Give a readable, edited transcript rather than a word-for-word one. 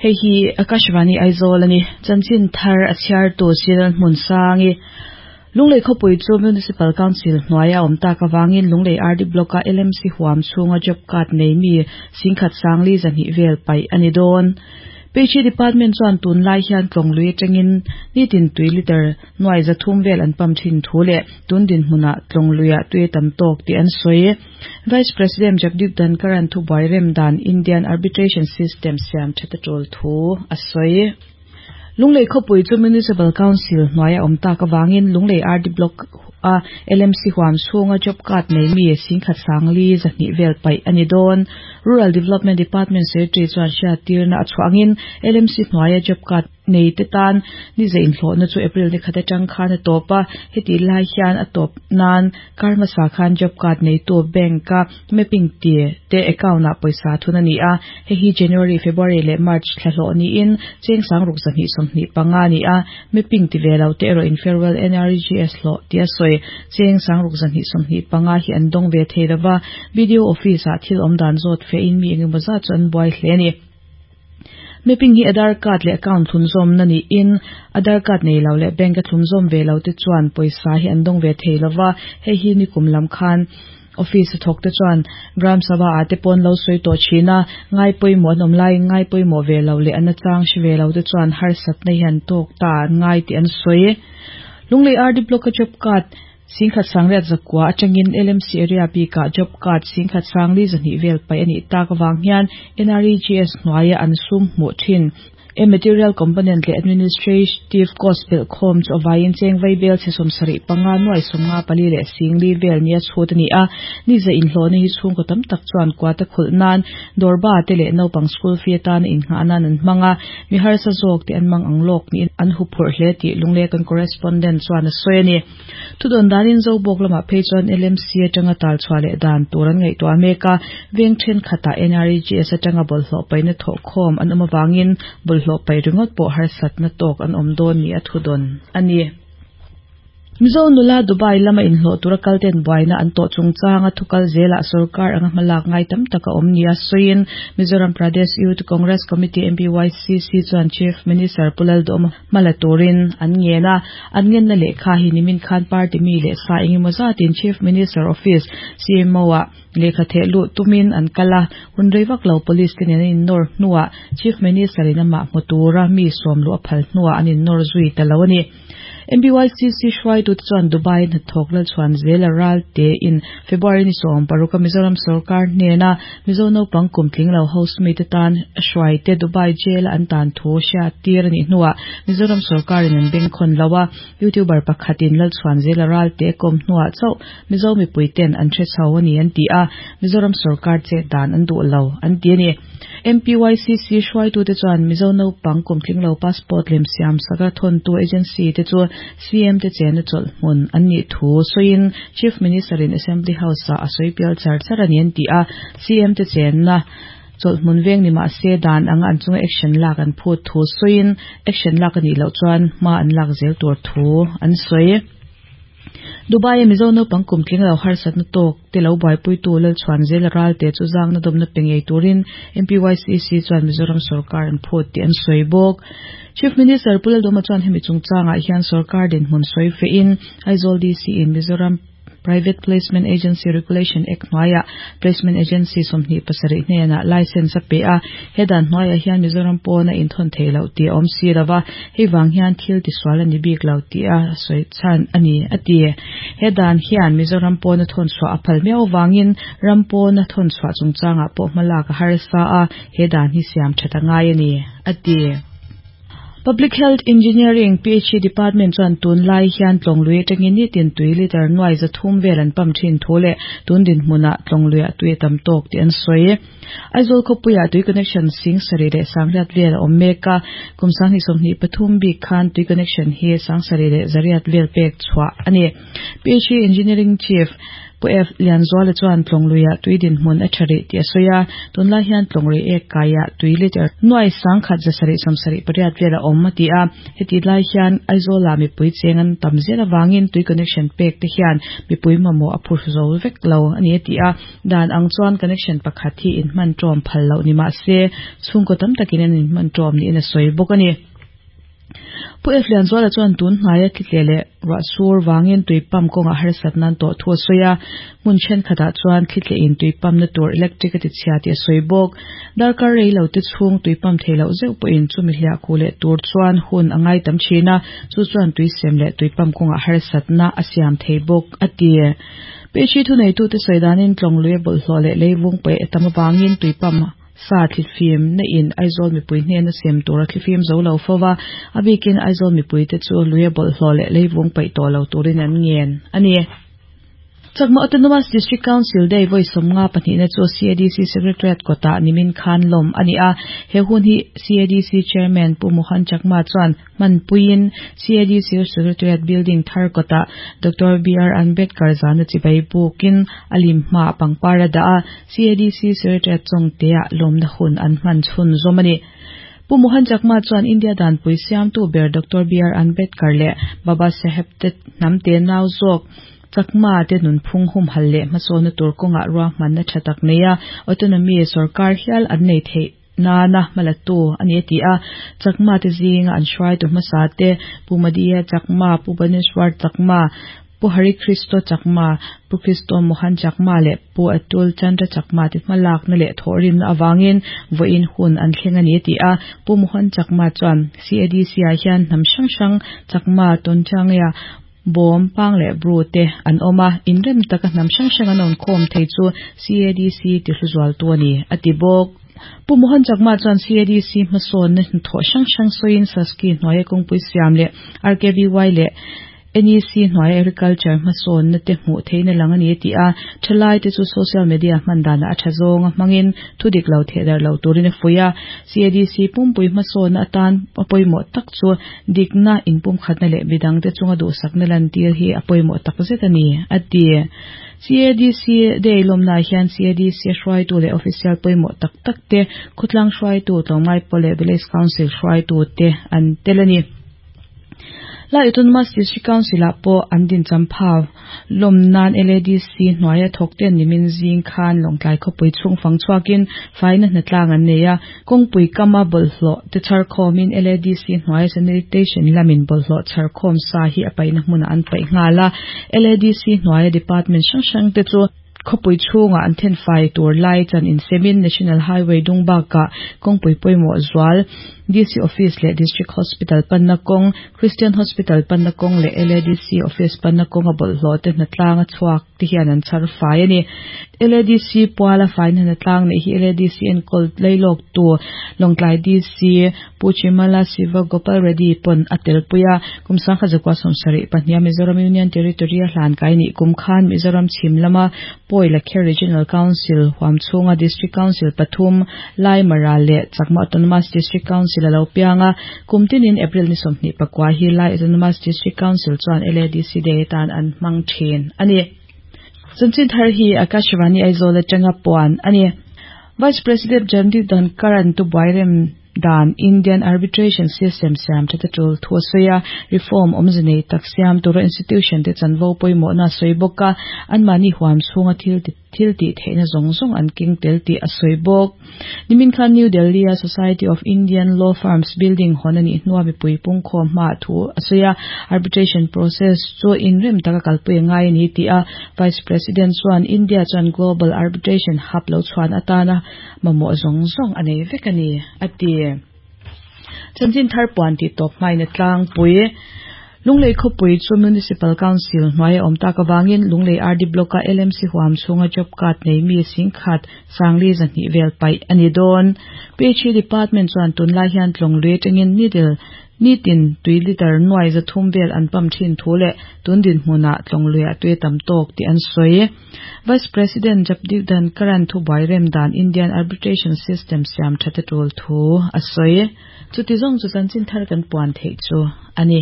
Hei hi Akashvani Aizawl a ni. Chanchin thar a chhiartu Cyril Hmunsangi. Lunglei khawpui chu Municipal Council hnuaia awm tak avangin Lunglei RD Block-a LMC huam chhunga job card nei mi singkhat sangli zahnih vel paih a ni dawn. Peihri Department chuan tunlai hian Tlawnglui atangin nitin tui litre nuai zathum vel an pump thin thu leh tun dinhmunah Tlawnglui-ah tui a tam tawk tih an sawi. Vice President Jagdeep Dhankhar-a'n thubuai rem dan Indian Arbitration System siam that a tul thu a sawi. Lunglei khawpui chu Municipal Council hnuaia awm tak avangin Lunglei RD Block a LMC huam chhunga job card nei mi singkhat sangli zahnih vel paih a ni dawn. Rural Development Department Secretary chuan hriattirna a chhuah angin LMC hnuaia job card nei te tan ni zah inhlawhna chu April ni khat atang khan a tawp a, hetih lai hian a tawp nan kar hmasa khan job card neitu bank a mapping ti te account ah pawisa thun a ni a, hei hi January, February leh March thla hlawh niin cheng sangruk 225 a ni a, mapping ti ve lo te erawh in farewell NREGS hlawh tia sawi cheng sangruk 225 hi an dawng ve thei lova, BDO office ah thil awm dan zawt fe in mi engemaw zat chu an buai hle a ni. Mapping hi Aadhaar card leh account thlunzawmna niin Aadhaar card nei lo leh bank a thlunzawm ve lo te chuan pawisa hi an dawng ve thei lova, hei hi nikum lam khan office a thawk te chuan Gram Sabha ah te pawh an lo sawi tawh thin a, ngai pawimawh an awm laiin ngai pawimawh ve lo leh an nachang hre ve lo te chuan harsatna hi an tawk ta an ngai tih an sawi. Lunglei RD Block a job card Singkhat sangriat zakua atangin LMC area bikah job card singkhat sangli zahnih vel paih a nih tak avang hian NREGS hnuaia an sum hmuh thin. E Material component leh administrative cost belh khawm chu a vaiin cheng vai bel chhe 75 nuai 54 leh singli vel nia chhut a ni a. Ni zah inhlawhna hi chhungkaw tam tak chuan kuata khulh nan dawrba te leh naupang school fee atana innghah nan an hmang a. Mi harsa zawk te an mang ang lawk niin an huphurh hle tih Lunglei kan correspondent chuan a sawi a ni. Thudawn danin Zobawk lamah phei chuan LMC atanga tal chhuah leh dan tur an ngaihtuah mek a, veng thenkhatah NREGS atanga bawlhhlawh paihna thawhkhawm an awm avangin bawlhhlawh paih ringawt pawh harsatna tawk an awm dawn ni a thudawn a ni. Mizo nula Dubai lama inhlawh tura kalten buaina an tawh chungchanga thukal zelah sorkar anga hmalak ngai tam tak a awm nia sawiin Mizoram Pradesh Youth Congress Committee, MPYCC, chuan Chief Minister Pu Lalduhawma Hma la turin an ngen a, an ngenna lehkha hi nimin khan party mi leh sa engemaw zatin Chief Minister Office, CMO, ah lehkha theh luh tumin an kal a, hun rei vak lo Police te nen an innawr hnuah Chief Minister in amah hmu tura mi sawm luh a phal hnuah an innawr zui ta lo a ni. MBYCC hruaitute chuan Dubai hnathawk Lalchhuan Zela Ralte in February ni 16 a Mizoram sorkar hnena Mizo naupang kum tling lo house mate tan hruaite Dubai jail a an tan thu hriat tir a nih hnuah Mizoram sorkarin an bengkhawn lo a, YouTuber pakhatin Lalchhuan Zela Ralte a kawm hnuah chauh Mizo mipuiten an hre chho a ni an ti a, Mizoram sorkar chet dan an duh lo an ti a ni. MPYCC hruaitute chuan Mizo naupang kum tling lo passport lem siam saka thawntu agency te chu CM te chena chawlh hmun an nih thu sawiin Chief Minister in Assembly House ah a sawi pial char char a ni an ti a, CM te chenna chawlh hmun veng ni mah se dan anga an chunga action lak an phut thu sawiin action lak a nih loh chuan hma an lak zel tur thu an sawi. Dubai a Mizo naupang kum tling lo harsatna tawk te lo buaipuitu Lalchhuan Zela Ralte chu zangna dawmna pe ngei turin MPYCC chuan Mizoram sorkar an phut tih an sawi bawk. Chief Minister Pu Lalduhoma chuan hemi chungchangah hian sorkar dinhmun sawi fehin Aizawl DC in Mizoram Private Placement Agency Regulation Act hnuaiah Placement Agency 27 hnenah license a pe a, he dan hnuaiah hian Mizoram pawn a inthawn thei loh tih a awm si lo va, hei vang hian thil tisual a ni bik lo tih a sawi chhan a ni, a ti. He dan hian Mizoram pawn a thawn chhuah a phal miau vangin ram pawn a thawn chhuah chungchangah pawh hmalak a harsa a, he dan hi siam that a ngai a ni, a ti. Public Health Engineering, PHE, Department chuan tunlai hian Tlawnglui atangin nitin tui litre nuai 300 vel an pump thin thu leh tun dinhmunah Tlawngluiah tui a tam tawk tih an sawi. Aizawl khawpuiah tui connection 70 leh 800 vel a awm mek a, kum 2023 bik khan tui connection hi 7800 vel pek chhuah a ni. PHE Engineering Chief. Pu F Lianzuala chuan Tlawng luiah tui dinhmun a tha rih tih a sawi a, tunlai hian Tlawng lui ek kaiah tui litre nuai 1778 vel a awm a ti a. Heti lai hian Aizawlah mipui cheng an tam zel avangin tui connection pek te hian mipui mamawh a phur zo vek lo a ni a ti a. Dan ang chuan connection pakhat hi inhman ṭawm phal loh ni mah se chhungkaw tam takin an inhman ṭawm niin a sawi bawk a ni. Pu F Lianzuala chuan tun hnaia thlitleh leh ruah sur vangin tui pump kawngah harsat nan tawh thu a sawi a, hmun thenkhatah chuan thlitlehin tui pump na tur electric a ti chhia tih a sawi bawk. Darkar rei lo te chhung tui pump thei loh zeuh pawhin chumi hliah kuh leh tur chuan hun a ngai tam thin a, chu chuan tui sem leh tui pump kawngah harsatna a siam thei bawk, a ti. Peichhi thuneitute sawi danin Tlawng lui a bawlhhlawh leh leivung paih a tam avangin tui pump Sa thlifim na in Aizawl mipui hnena sem tur a thlifim zo lo fo va, a bikin Aizawl mipuite chu lui a bawlhhlawh leh leivung paih tawh lo turin an ngen a ni. Chakma Autonomous District Council Day vawi 50 pahnihna chu CADC Secretariat kawtah nimin khan lawm a ni a, he hun hi CADC Chairman Pu Mohan Chakma chuan Hmanpuiin CADC Secretariat Building thar kawtah Doctor BR Ambedkar zana chibai bukin a lim hmaah pangpar a dah a, CADC Secretariat chawngteah lawmna hun an hman chhun zawm a ni. Pu Mohan Chakma chuan India danpui siamtu ber Doctor BR Ambedkar leh Baba Saheb te hnamte nau zawk Chakma te nunphung humhalh leh hmasawnna tur kawngah ruahmanna tha tak nei a, autonomy sorkar hial an nei theih nana hmalatu a ni a ti a, Chakma te zinga an hruaitu hmasa te, Pu Madiya Chakma, Pu Baneswar Chakma, Pu Hari Kristo Chakma, Pu Kristo Mohan Chakma leh Pu Atul Chandra Chakma te hmalakna leh thawhrimna avangin vawiin hun an thleng a ni a ti a, Pu Mohan Chakma chuan CADC ah hian hnam hrang hrang Chakma, Tonchangya, Bawm, Pang leh Bru te an awm a, inrem taka hnam hrang hrang an awmkhawm thei chu CADC tihluzualtu a ni, a ti bawk. Pu Mohan Chakma chuan CADC hmasawnna hnathawh hrang hrang sawiin Saski hnuaia kawngpui siam leh RKVY leh NEC hnuaia agriculture hmasawnna te hmuh theihna lang a ni a ti a, thalaite chu social media hman danah a tha zawnga hmangin thudik lo thehdarh lo turin a fuih a, CADC pumpui hmasawnna atan a pawimawh tak chu Dikna, inpumkhatna leh midangte chunga duhsakna lantir hi a pawimawh takzet a ni, a ti. CADC Day lawmnaah hian CADC hruaitu leh official pawimawh tak tak te, khawtlang hruaitu, tlawmngai pawl leh Village Council hruaitu te an tel a ni. Lai Autonomous District Council-ah pawh an dincham phau. Lawm nan LADC hnuaia thawk ten nimin zing khan Lawngtlai khawpui chhung fang chhuakin faina hnatlang an nei a. Kawngpui kama bawlhhlawh te chhar khawmin LADC hnuaia sanitation lamin bawlhhlawh chhar khawm sa hi a paihna hmunah an paih nghal a. LADC hnuaia department hrang hrang te chu khawpui chhungah an thenfai tur lai chan insemin National Highway dung bakah kawngpui pawimawh zual DC Office leh District Hospital panna kawng, Christian Hospital panna kawng leh LADC Office panna kawnga bawlhhlawh te hnatlang a chhuak te hian an chhar fai a ni. LADC puala faina hnatlang neih hi LADC enkawl lailawktu Lawngtlai DC Pu Chimala Siva Gopal Reddy pawn a telpui a, kum 1972 a Mizoram Union Territory a hlan kai nih kum khan Mizoram chhim lama Pawi Lakher Regional Council huam chhunga District Council pathum, Lai Mara leh Chakma Autonomous District Council a lo piang a, kum tinin April ni 29 hi Lai Autonomous District Council chuan LADC Day atan an hmang thin a ni. Chanchin thar hi Akashvani Aizawl atanga puan a ni. Vice President Jagdeep Dhankhar-a'n tubuai rem dan Indian Arbitration System siam that a tul thu a sawi a, reform awmze nei tak siam tura institution te chanvo pawimawhna a sawi bawk a, anmahni huam chhunga thil thil tih theihna zawng zawng an keng tel tih a sawi bawk. Nimin khan New Delhi-a Society of Indian Law Firms building hawn a nih hnua mipui pungkhawm hmaah thu a sawi a, arbitration process chu inrem taka kalpui a ngai a ni tih a Vice President chuan India chuan Global Arbitration Hub lo chhuan atana mamawh zawng zawng a nei vek a ni, a ti. Chanchin thar puan tih tawp hmain a tlangpui. Lunglei khawpui chu Municipal Council hnuai a awm tak avangin Lunglei RD Block-a LMC huam chhunga job card nei mi singkhat sangli zahnih vel paih a ni dawn. PHE Department chuan tunlai hian Tlawnglui atangin needle Nitin tui litre nuai 300 vel an pump thin thu leh tun dinhmunah Tlawnglui-ah tui a tam tawk tih an sawi. Vice President Jagdeep Dhankhar-a'n thubuai rem dan Indian Arbitration System siam that a tul thu a sawi. Chuti zawng chu chanchin thar kan puan theih chu a ni.